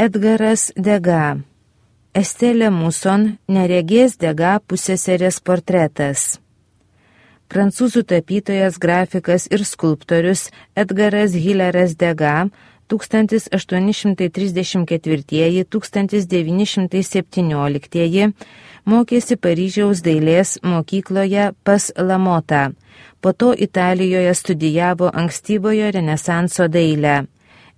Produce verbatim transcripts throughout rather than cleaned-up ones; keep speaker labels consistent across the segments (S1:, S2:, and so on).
S1: Edgaras Degas. Estelė Muson, neregės Degas pusseserės portretas. Prancūzų tapytojas, grafikas ir skulptorius Edgaras Hilaras Degas tūkstantis aštuoni šimtai trisdešimt ketvirtieji - tūkstantis devyni šimtai septynioliktieji mokėsi Paryžiaus dailės mokykloje pas Lamotą. Po to Italijoje studijavo ankstyvojo renesanso dailę.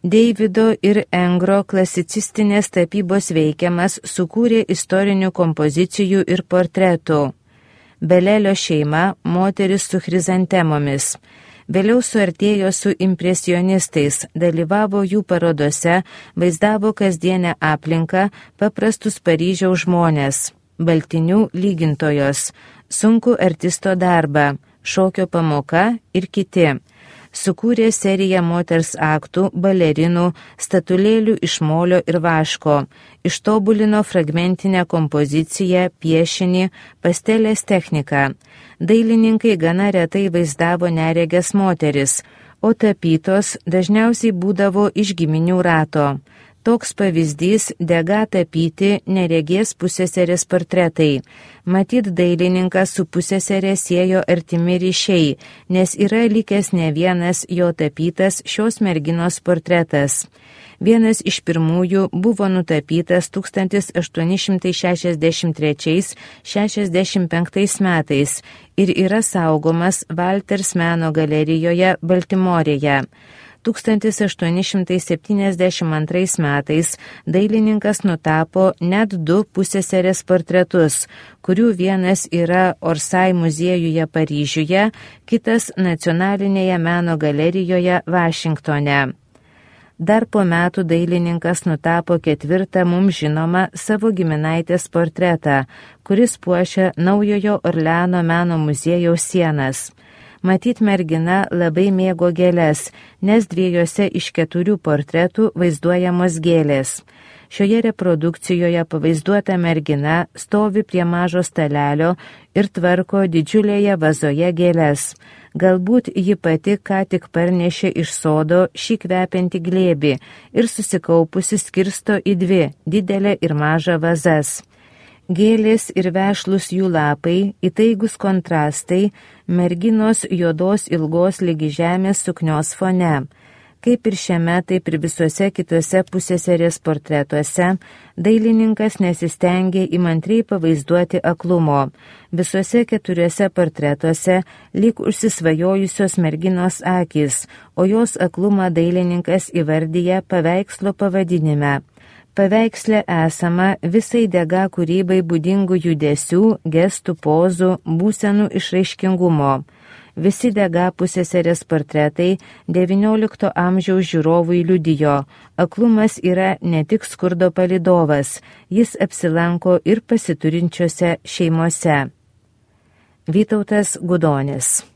S1: Deivido ir Engro klasicistinės tapybos veikiamas sukūrė istorinių kompozicijų ir portretų. Belelio šeima – moteris su chrizantemomis. Vėliau suartėjo su impresionistais, dalyvavo jų parodose, vaizdavo kasdienę aplinką, paprastus Paryžiaus žmonės, baltinių lygintojos, sunkų artisto darbą, šokio pamoka ir kiti. Sukūrė seriją moters aktų, balerinų, statulėlių iš molio ir vaško, ištobulino fragmentinę kompoziciją, piešinį, pastelės techniką. Dailininkai gana retai vaizdavo neregės moteris, o tapytos dažniausiai būdavo iš giminių rato. Toks pavyzdys Degas tapyti neregės pusseserės portretai. Matyt, dailininkas su pusseserė siejo artimi ryšiai, nes yra likęs ne vienas jo tapytas šios merginos portretas. Vienas iš pirmųjų buvo nutapytas tūkstantis aštuoni šimtai šešiasdešimt trečiais - šešiasdešimt penktais metais ir yra saugomas Walters meno galerijoje Baltimorėje. tūkstantis aštuoni šimtai septyniasdešimt antrais metais dailininkas nutapo net du pusseserės portretus, kurių vienas yra Orsay muziejuje Paryžiuje, kitas Nacionalinėje meno galerijoje Vašingtone. Dar po metų dailininkas nutapo ketvirtą mums žinomą savo giminaitės portretą, kuris puošia Naujojo Orleano meno muziejaus sienas. Matyt, mergina labai mėgo gėles, nes dviejose iš keturių portretų vaizduojamos gėlės. Šioje reprodukcijoje pavaizduota mergina stovi prie mažo stalelio ir tvarko didžiulėje vazoje gėles. Galbūt ji pati ką tik parnešė iš sodo šį kvepiantį glėbį ir susikaupusi skirsto į dvi – didelę ir mažą vazas. Gėlės ir vešlus jų lapai, įtaigus kontrastai, merginos juodos ilgos lygi žemės suknios fone. Kaip ir šiame, taip ir visuose kitose pusseserės portretuose, dailininkas nesistengė įmantriai pavaizduoti aklumo. Visuose keturiuose portretuose lyg užsisvajojusios merginos akys, o jos aklumą dailininkas įvardyja paveikslo pavadinime. Paveiksle esama visai Degas kūrybai būdingų judesių, gestų, pozų, būsenų išraiškingumo. Visi Degas pusseserės portretai devyniolikto amžiaus žiūrovui liudijo. Aklumas yra ne tik skurdo palydovas, jis apsilanko ir pasiturinčiose šeimose. Vytautas Gudonis.